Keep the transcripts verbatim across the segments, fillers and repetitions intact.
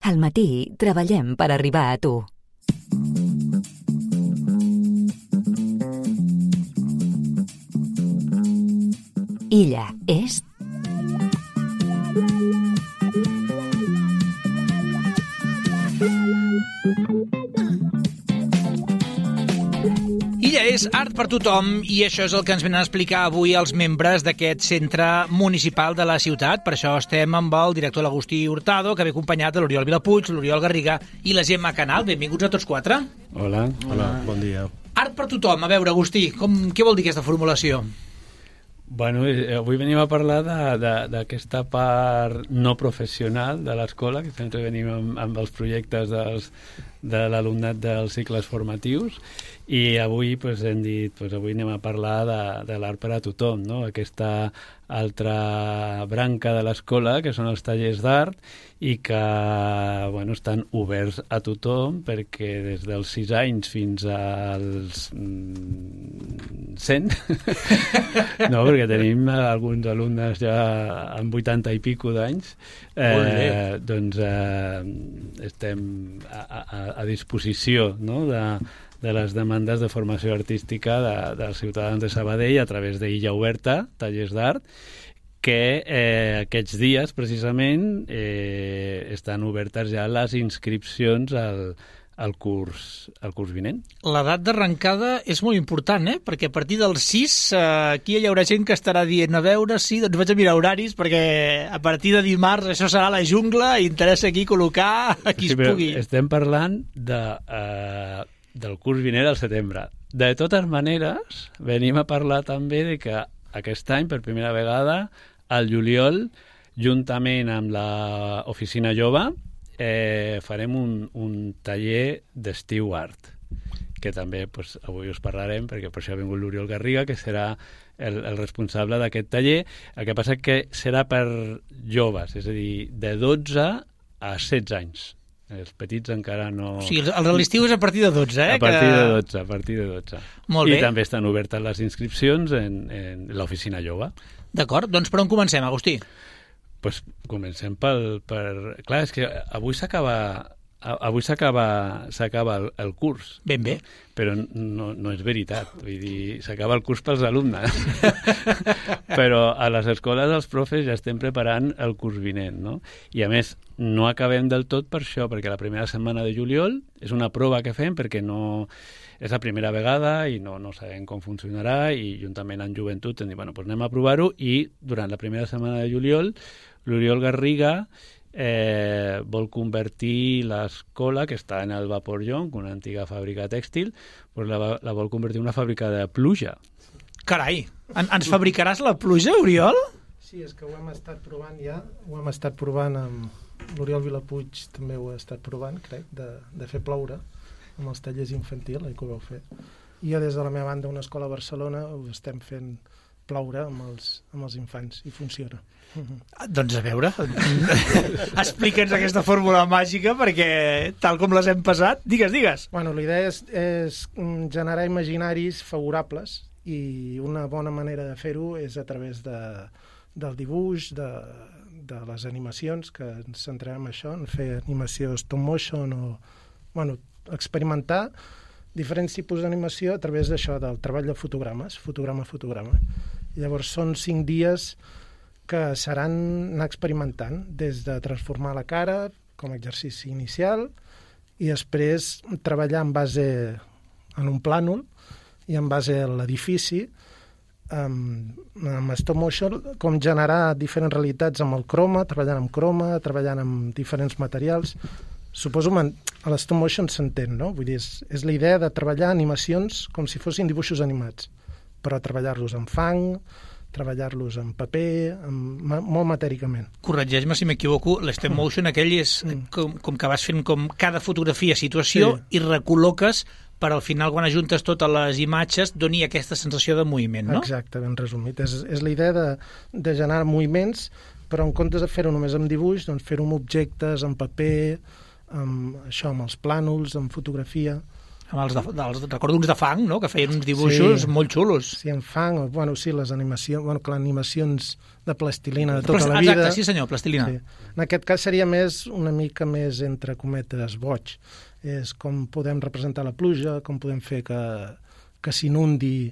Al matí treballem per arribar a tu. Illa és... Illa és art per tothom i això és el que ens venen a explicar avui els membres d'aquest centre municipal de la ciutat. Per això estem amb el director l'Agustí Hurtado, que ve acompanyat de l'Oriol Vilapuig, l'Oriol Garriga i la Gemma Canal. Benvinguts a tots quatre. Hola, hola, bon dia. Art per tothom. A veure, Agustí, com, què vol dir aquesta formulació? Bueno, avui venim a parlar d'aquesta part no professional de l'escola, que sempre venim amb, amb els projectes dels, de l'alumnat dels cicles formatius, i avui pues, hem dit, pues, avui anem a parlar de, de l'art per a tothom, no? Aquesta altra branca de l'escola, que són els tallers d'art, i que bueno, estan oberts a tothom, perquè des dels sis anys fins als mm, cent, no, perquè tenim alguns alumnes ja amb vuitanta i pico d'anys, eh, doncs eh, estem a, a, a disposició, no?, de, de les demandes de formació artística de, dels ciutadans de Sabadell a través d'Illa Oberta, tallers d'art, que eh, aquests dies, precisament, eh, estan obertes ja les inscripcions al, al, curs, al curs vinent. L'edat d'arrencada és molt important, eh? Perquè a partir dels sis, eh, aquí hi haurà gent que estarà dient, a veure, sí, doncs vaig a mirar horaris, perquè a partir de dimarts això serà la jungla i interessa aquí col·locar a qui sí, es pugui. Estem parlant de... Eh, del curs vinent al setembre. De totes maneres, venim a parlar també de que aquest any, per primera vegada, al juliol, juntament amb l'Oficina Jove, eh, farem un, un taller d'estiu art, que també pues, avui us parlarem, perquè per això ha vingut l'Oriol Garriga, que serà el, el responsable d'aquest taller. El que passa que serà per joves, és a dir, de dotze a setze anys. Els petits encara no... O sigui, el de l'estiu és a partir de dotze, eh? A partir que... de dotze, a partir de dotze. Molt bé. I també estan obertes les inscripcions en, en l'Oficina Jove. D'acord, doncs per on comencem, Agustí? Pues comencem pel... Per... Clar, és que avui s'acaba... Avui s'acaba s'acaba el, el curs. Ben bé. Però no, no és veritat. Vull dir, s'acaba el curs pels alumnes. Però a les escoles els profes ja estem preparant el curs vinent, no? I a més, no acabem del tot per això, perquè la primera setmana de juliol és una prova que fem perquè no... És la primera vegada i no, no sabem com funcionarà, i juntament amb Joventut hem dit, bueno, doncs anem a provar-ho, i durant la primera setmana de juliol l'Oriol Garriga Eh, vol convertir l'escola, que està en el Vapor Jonc, una antiga fàbrica tèxtil, pues la, la vol convertir en una fàbrica de pluja. Carai, en, ens fabricaràs la pluja, Oriol? Sí, és que ho hem estat provant ja, ho hem estat provant amb l'Oriol Vilapuig, també ho ha estat provant, crec, de, de fer ploure amb els tallers infantil, eh, que ho vau fer. I jo des de la meva banda, una escola a Barcelona, ho estem fent ploure amb els, amb els infants, i funciona. Ah, doncs a veure, explica'ns aquesta fórmula màgica, perquè tal com les hem passat, digues, digues. Bueno, la idea és, és generar imaginaris favorables, i una bona manera de fer-ho és a través de, del dibuix, de, de les animacions, que ens centrarem en això, en fer animació stop motion, o bueno, experimentar diferents tipus d'animació a través d'això, del treball de fotogrames, fotograma a fotograma. I llavors són cinc dies que seran anar experimentant, des de transformar la cara com a exercici inicial, i després treballar en base en un plànol i en base a l'edifici, amb, amb stop motion, com generar diferents realitats amb el croma, treballant amb croma, treballant amb diferents materials. Suposo que a l'stop motion s'entén, no? Vull dir, és, és la idea de treballar animacions com si fossin dibuixos animats, però treballar-los en fang, treballar-los en paper, amb, molt matèricament. Corregeix-me si m'equivoco, l'stop motion aquell és mm. com, com que vas fent com cada fotografia situació, sí, i recol·loques per al final, quan ajuntes totes les imatges, doni aquesta sensació de moviment, no? Exacte, ben resumit. És, és la idea de, de generar moviments, però en comptes de fer-ho només amb dibuix, doncs fer-ho amb objectes, amb paper, amb, això, amb els plànols, amb fotografia. Amb els de, dels, recordo uns de fang, no?, que feien uns dibuixos sí, molt xulos. Sí, en fang, o, bueno, sí, les animacions, bueno, que les animacions de plastilina de tota Plast... la vida. Exacte, sí senyor, plastilina. Sí. En aquest cas seria més, una mica més, entre cometes, boig. És com podem representar la pluja, com podem fer que, que s'inundi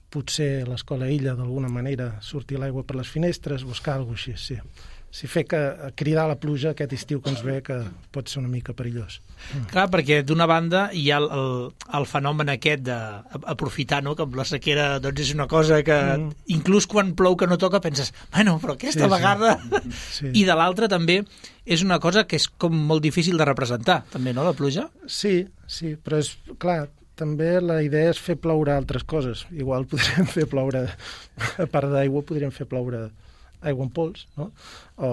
potser l'escola illa d'alguna manera, sortir l'aigua per les finestres, buscar alguna cosa així, sí. Si fer que cridar la pluja aquest estiu que ens ve, que pot ser una mica perillós. Mm. Clar, perquè d'una banda hi ha el, el, el fenomen aquest d'aprofitar, no?, que amb la sequera doncs és una cosa que mm. inclús quan plou que no toca penses, bueno, però aquesta sí, vegada... Sí. I de l'altra també és una cosa que és com molt difícil de representar, també, no?, la pluja? Sí, sí, però és clar, també la idea és fer ploure altres coses. Igual podríem fer ploure, a part d'aigua, podríem fer ploure aigua en pols, no? o,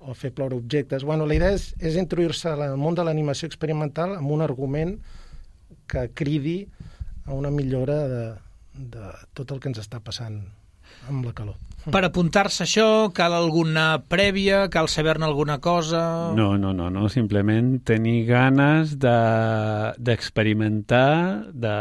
o fer ploure objectes. Bueno, la idea és, és introduir-se al món de l'animació experimental amb un argument que cridi a una millora de, de tot el que ens està passant amb la calor. Per apuntar-se a això, cal alguna prèvia? Cal saber-ne alguna cosa? No, no, no, no. Simplement tenir ganes de, d'experimentar, de,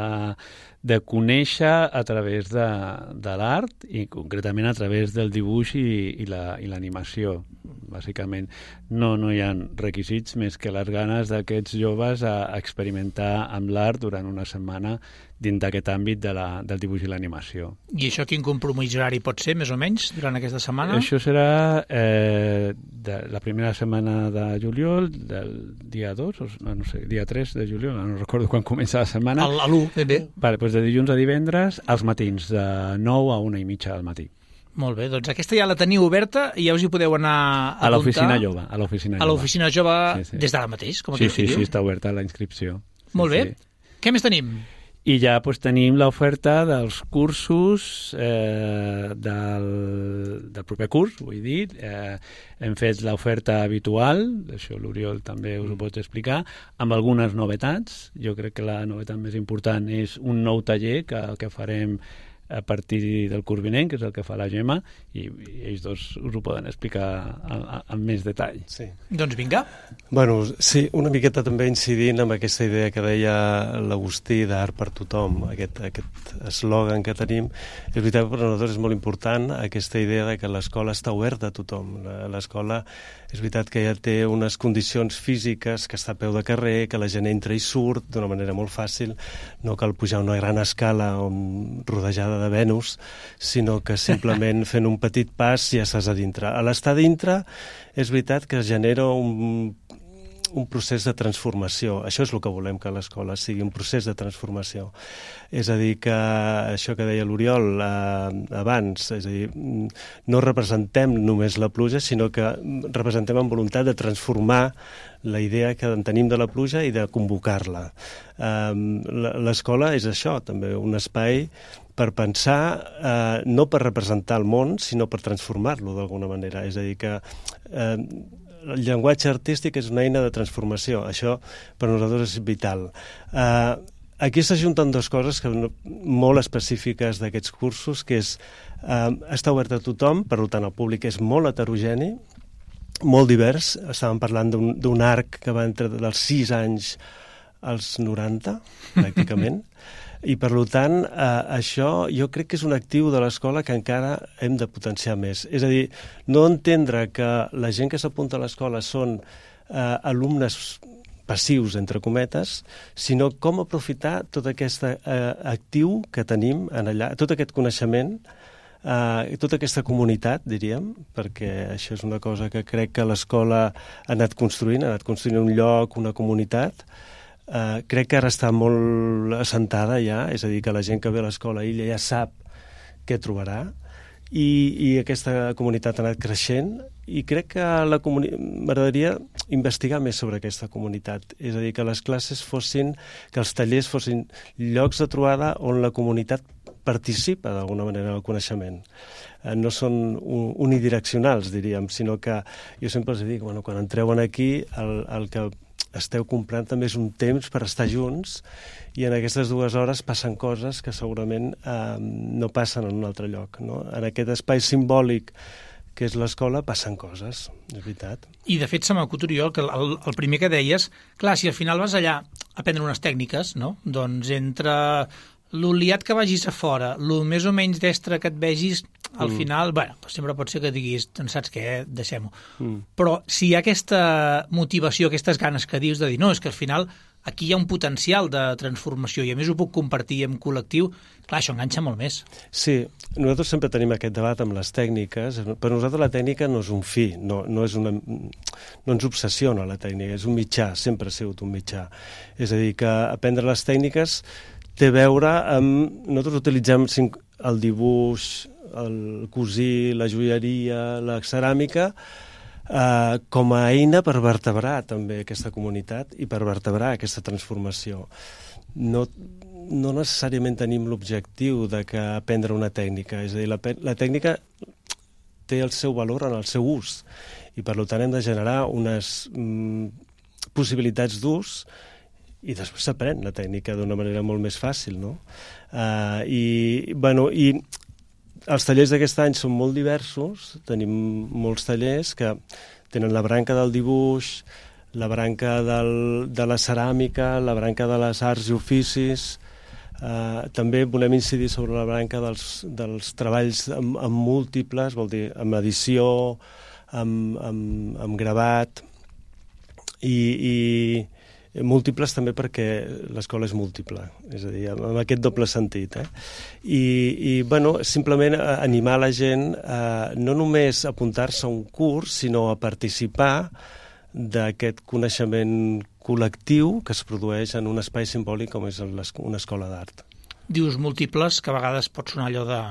de conèixer a través de, de l'art i concretament a través del dibuix i, i, la, i l'animació, bàsicament. No, no hi ha requisits més que les ganes d'aquests joves a experimentar amb l'art durant una setmana dins d'aquest àmbit de la, del dibuix i l'animació. I això quin compromís horari pot ser, més o menys, durant aquesta setmana? Això serà eh, de la primera setmana de juliol, del dia dos, o no, no sé, dia tres de juliol, no recordo quan comença la setmana. A l'u, ben bé. Vale, doncs de dilluns a divendres, als matins, de nou a una i mitja del matí. Molt bé, doncs aquesta ja la teniu oberta i ja us hi podeu anar a, a l'oficina jove. A l'oficina jove, a l'oficina jove sí, sí. Des d'ara mateix? Com sí, sí, sí, està oberta la inscripció. Sí, molt bé. Sí. Què més tenim? I ja doncs, tenim l'oferta dels cursos eh, del, del proper curs, vull dir. Eh, hem fet l'oferta habitual, això l'Oriol també us ho pot explicar, amb algunes novetats. Jo crec que la novetat més important és un nou taller que, que farem a partir del curs vinent, que és el que fa la Gemma, i, i ells dos us ho poden explicar amb més detall. Sí. Doncs vinga. Bueno, sí, una miqueta també incidint amb aquesta idea que deia l'Agustí d'art per tothom, aquest, aquest eslògan que tenim. És veritat que per nosaltres és molt important aquesta idea de que l'escola està oberta a tothom. L'escola és veritat que ja té unes condicions físiques, que està a peu de carrer, que la gent entra i surt d'una manera molt fàcil, no cal pujar una gran escala on, rodejada de Venus, sinó que simplement fent un petit pas ja estàs a dintre. A l'estar dintre és veritat que genera un, un procés de transformació. Això és el que volem que l'escola sigui, un procés de transformació. És a dir, que això que deia l'Oriol eh, abans, és a dir, no representem només la pluja, sinó que representem amb voluntat de transformar la idea que en tenim de la pluja i de convocar-la. Eh, l'escola és això, també un espai per pensar, eh, no per representar el món, sinó per transformar-lo d'alguna manera. És a dir, que eh, el llenguatge artístic és una eina de transformació. Això per nosaltres és vital. Eh, aquí s'ajunten dues coses que molt específiques d'aquests cursos, que és eh, està obert a tothom, per tant el públic és molt heterogeni, molt divers. Estàvem parlant d'un, d'un arc que va entre dels sis anys als noranta, pràcticament. I, per tant, eh, això jo crec que és un actiu de l'escola que encara hem de potenciar més. És a dir, no entendre que la gent que s'apunta a l'escola són eh, alumnes passius, entre cometes, sinó com aprofitar tot aquest eh, actiu que tenim en allà, tot aquest coneixement, eh, tota aquesta comunitat, diríem, perquè això és una cosa que crec que l'escola ha anat construint, ha anat construint un lloc, una comunitat. Uh, crec que ara està molt assentada ja, és a dir, que la gent que ve a l'escola illa ja sap què trobarà i, i aquesta comunitat ha anat creixent i crec que la comuni... m'agradaria investigar més sobre aquesta comunitat, és a dir, que les classes fossin, que els tallers fossin llocs de trobada on la comunitat participa d'alguna manera en el coneixement. Uh, no són unidireccionals, diríem, sinó que jo sempre els dic, bueno, quan entreu aquí, el, el que esteu comprant també és un temps per estar junts i en aquestes dues hores passen coses que segurament eh, no passen en un altre lloc. No? En aquest espai simbòlic que és l'escola passen coses, és veritat. I de fet se m'acut, Oriol, que el, el primer que deies, clar, si al final vas allà aprendre unes tècniques, no? Doncs entre l'oliat que vagis a fora, el més o menys destre que et vegis, al mm. final, bueno, sempre pot ser que diguis, doncs saps què, deixem-ho. Mm. Però si hi ha aquesta motivació, aquestes ganes que dius de dir, no, és que al final aquí hi ha un potencial de transformació i a més ho puc compartir en col·lectiu, clar, això enganxa molt més. Sí, nosaltres sempre tenim aquest debat amb les tècniques. Per nosaltres la tècnica no és un fi, no, no, és una, no ens obsessiona la tècnica, és un mitjà, sempre ha sigut un mitjà. És a dir, que aprendre les tècniques té a veure amb... Nosaltres utilitzem el dibuix, el cosir, la joieria, la ceràmica, eh, com a eina per vertebrar també aquesta comunitat i per vertebrar aquesta transformació. No, no necessàriament tenim l'objectiu de que aprendre una tècnica, és a dir, la, la tècnica té el seu valor en el seu ús i per tant hem de generar unes mm, possibilitats d'ús i després s'aprèn la tècnica d'una manera molt més fàcil, no? Uh, i, bueno, i els tallers d'aquest any són molt diversos, tenim molts tallers que tenen la branca del dibuix, la branca del, de la ceràmica, la branca de les arts i oficis, uh, també volem incidir sobre la branca dels, dels treballs amb, amb múltiples, vol dir, amb edició, amb, amb, amb gravat, i, i múltiples també perquè l'escola és múltiple, és a dir, amb aquest doble sentit. Eh? I, i bueno, simplement animar la gent a no només apuntar-se a un curs, sinó a participar d'aquest coneixement col·lectiu que es produeix en un espai simbòlic com és una escola d'art. Dius múltiples, que a vegades pot sonar allò de...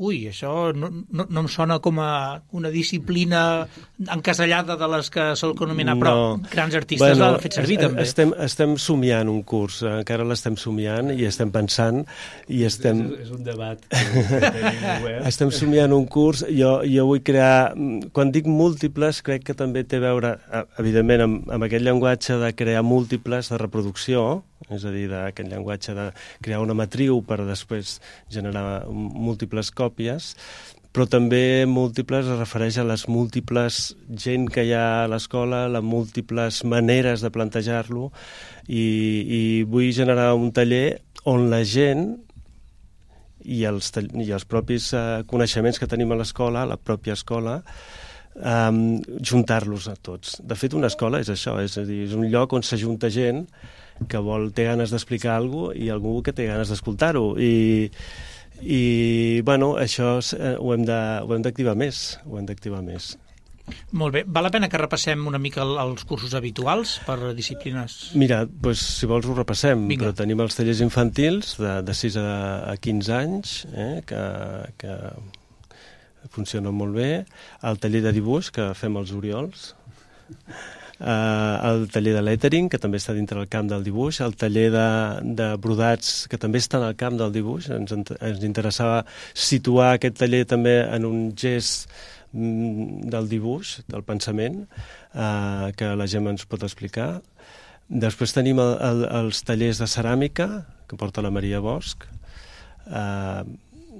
Ui, això no, no, no em sona com a una disciplina encasellada de les que sol anomenar, no. Però grans artistes bueno, l'han fet servir també. Estem, estem somiant un curs, encara l'estem somiant i estem pensant i estem... És, és un debat que tenim obert. Estem somiant un curs, jo, jo vull crear... Quan dic múltiples, crec que també té a veure, evidentment, amb, amb aquest llenguatge de crear múltiples de reproducció, és a dir, d'aquest llenguatge de crear una matriu per després generar múltiples còpies, però també múltiples es refereix a les múltiples gent que hi ha a l'escola, les múltiples maneres de plantejar-lo, i, i vull generar un taller on la gent i els, i els propis uh, coneixements que tenim a l'escola, la pròpia escola, um, juntar-los a tots. De fet, una escola és això, és a dir, és un lloc on s'ajunta gent que vol, té ganes d'explicar alguna cosa i algú que té ganes d'escoltar-ho. I, i bueno, això eh, ho hem d'activar més, ho hem d'activar més. Molt bé. Val la pena que repassem una mica els cursos habituals per disciplines? Mira, doncs, si vols ho repassem. Vinga. Però tenim els tallers infantils de, de sis a quinze anys, eh, que, que funcionen molt bé. El taller de dibuix, que fem els Oriols. Uh, el taller de lettering, que també està dintre del camp del dibuix, el taller de, de brodats, que també està en el camp del dibuix. Ens, ens interessava situar aquest taller també en un gest mm, del dibuix, del pensament, uh, que la Gemma ens pot explicar. Després tenim el, el, els tallers de ceràmica, que porta la Maria Bosch, uh,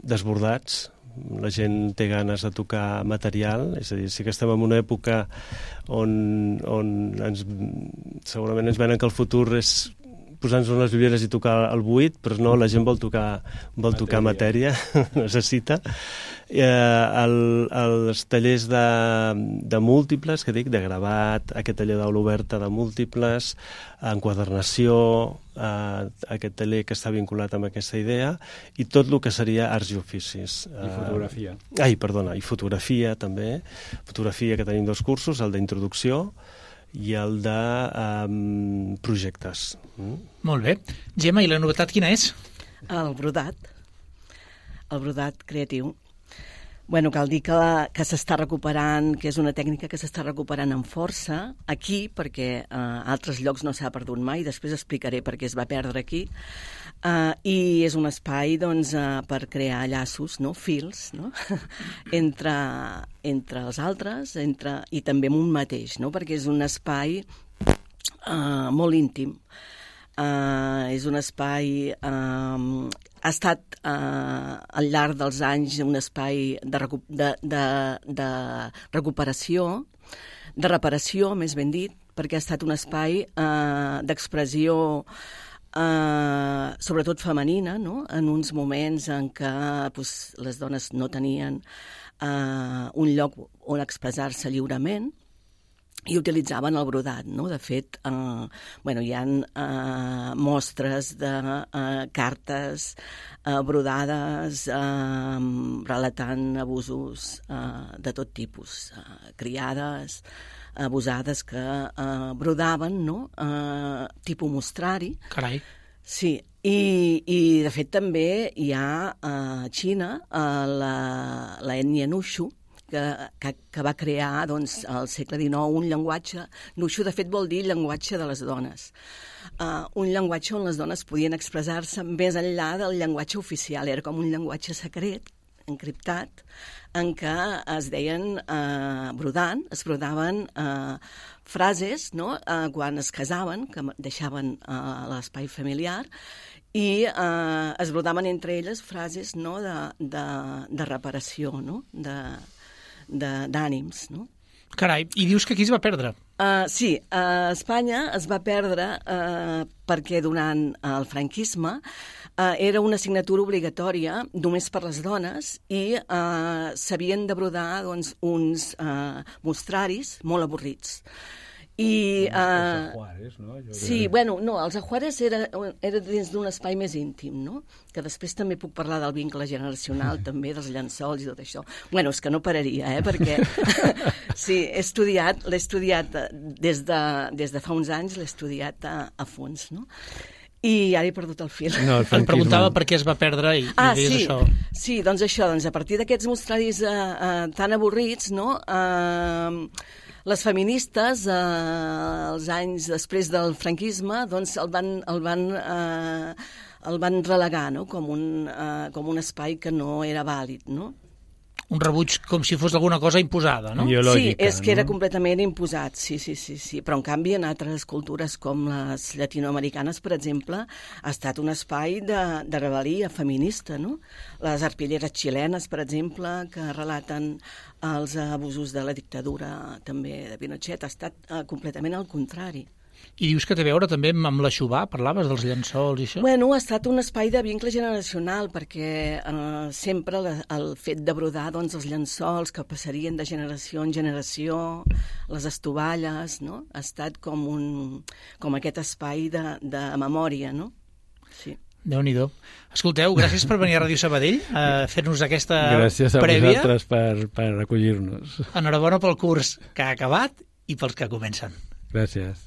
desbordats. La gent té ganes de tocar material, és a dir, sí que estem en una època on, on ens, segurament ens venen que el futur és posar-nos unes biblioteques i tocar el buit, però no, la gent vol tocar, vol tocar matèria, necessita. Eh, el, els tallers de, de múltiples, que dic, de gravat, aquest taller d'aula oberta de múltiples, enquadernació, eh, aquest taller que està vinculat amb aquesta idea, i tot el que seria arts i oficis. I fotografia. Eh, ai, perdona, i fotografia també. Fotografia, que tenim dos cursos, el d'introducció i el de um, projectes. Mm? Molt bé. Gemma, i la novetat quina és? El brodat. El brodat creatiu. Bueno, cal dir que, la, que s'està recuperant, que és una tècnica que s'està recuperant amb força aquí, perquè a eh, altres llocs no s'ha perdut mai, després explicaré per què es va perdre aquí, uh, i és un espai doncs, uh, per crear llaços, no? Fils, no? entre, entre els altres entre, i també amb un mateix, no? Perquè és un espai uh, molt íntim. Uh, és un espai... Uh, ha estat eh, al llarg dels anys un espai de, recu de, de, de recuperació, de reparació, més ben dit, perquè ha estat un espai eh, d'expressió eh, sobretot femenina, no? En uns moments en què pues, les dones no tenien eh, un lloc on expressar-se lliurement, i utilitzaven el brodat, no? De fet, eh, bueno, hi ha eh, mostres de eh, cartes eh, brodades eh, relatant abusos eh, de tot tipus, eh, criades, abusades que eh, brodaven, no? Eh, tipus mostrari. Carai. Sí, i, i de fet també hi ha a Xina eh, la, la ètnia Nushu, Que, que, que va crear doncs, al segle dinou un llenguatge. Nushu, de fet, vol dir llenguatge de les dones. Uh, un llenguatge on les dones podien expressar-se més enllà del llenguatge oficial. Era com un llenguatge secret, encriptat, en què es deien, uh, brodant, es brodaven uh, frases, no? uh, quan es casaven, que deixaven uh, l'espai familiar, i uh, es brodaven entre elles frases, no? de, de, de reparació, no? de d'ànims, no? Carai, i dius que aquí es va perdre. Uh, sí, a Espanya es va perdre uh, perquè durant el franquisme uh, era una assignatura obligatòria només per les dones i uh, s'havien de brodar doncs, uns uh, mostraris molt avorrits. I, uh, els ajuares, no? Jo sí, crec... bueno, no, els ajuares era, era dins d'un espai més íntim, no? Que després també puc parlar del vincle generacional, també, dels llençols i tot això. Bueno, és que no pararia, eh? Perquè sí, he estudiat, l'he estudiat des de, des de fa uns anys, l'he estudiat a, a fons, no? I ara he perdut el fil. No, el Em preguntava per què es va perdre i, ah, i deies sí, això. Sí, doncs això, doncs a partir d'aquests mostraris eh, eh, tan avorrits, no?, eh, les feministes, eh, els anys després del franquisme, doncs el van, el van, eh, el van relegar, no?, com un, eh, com un espai que no era vàlid, no? Un rebuig com si fos alguna cosa imposada, no? Ideològica, sí, és que era no? completament imposat, sí, sí, sí, sí. Però en canvi en altres cultures com les llatinoamericanes, per exemple, ha estat un espai de, de rebel·lia feminista, no? Les arpilleres xilenes, per exemple, que relaten els abusos de la dictadura també de Pinochet, ha estat eh, completament al contrari. I dius que té a veure també amb l'Aixubà, parlaves dels llençols i això? Bueno, ha estat un espai de vincle generacional, perquè eh, sempre la, el fet de brodar doncs, els llençols que passarien de generació en generació, les estovalles, no? Ha estat com, un, com aquest espai de, de memòria, no? Sí. Déu-n'hi-do. Escolteu, gràcies per venir a Ràdio Sabadell a fer-nos aquesta gràcies a prèvia. vosaltres per, per acollir-nos. Enhorabona pel curs que ha acabat i pels que comencen. Gràcies.